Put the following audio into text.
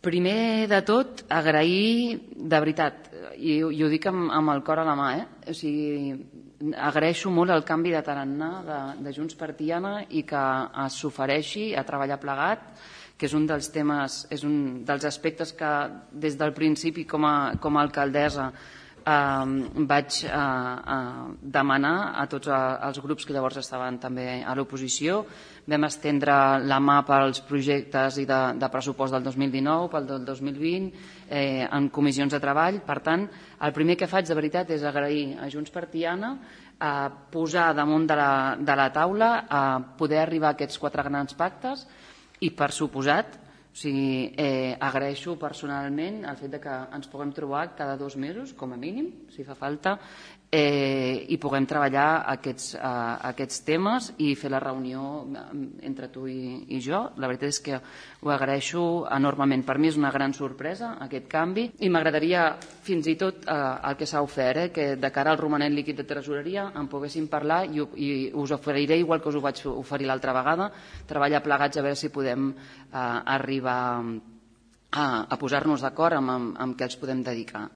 Primer de tot, agrair, de veritat, i ho dic amb el cor a la mà, o sigui, agraeixo molt el canvi de tarannà de Junts per Tiana i que s'ofereixi a treballar plegat, que és un dels temes, és un dels aspectes que des del principi com a alcaldessa vaig demanar a tots els grups que llavors estaven també a l'oposició. Vam estendre la mà pels projectes de pressupost del 2019, pel del 2020, en comissions de treball. Per tant, el primer que faig de veritat és agrair a Junts per Tiana posar damunt de la taula a poder arribar a aquests 4 grans pactes i, per suposat, agraeixo personalment el fet que ens puguem trobar cada 2 mesos, com a mínim, si fa falta, i puguem treballar aquests temes i fer la reunió entre tu i jo. La veritat és que ho agraeixo enormement. Per mi és una gran sorpresa aquest canvi i m'agradaria fins i tot el que s'ha ofert, que de cara al romanent líquid de tresoreria en poguéssim parlar i us oferiré, igual que us ho vaig oferir l'altra vegada, treballar plegats a veure si podem arribar a posar-nos d'acord amb què els podem dedicar.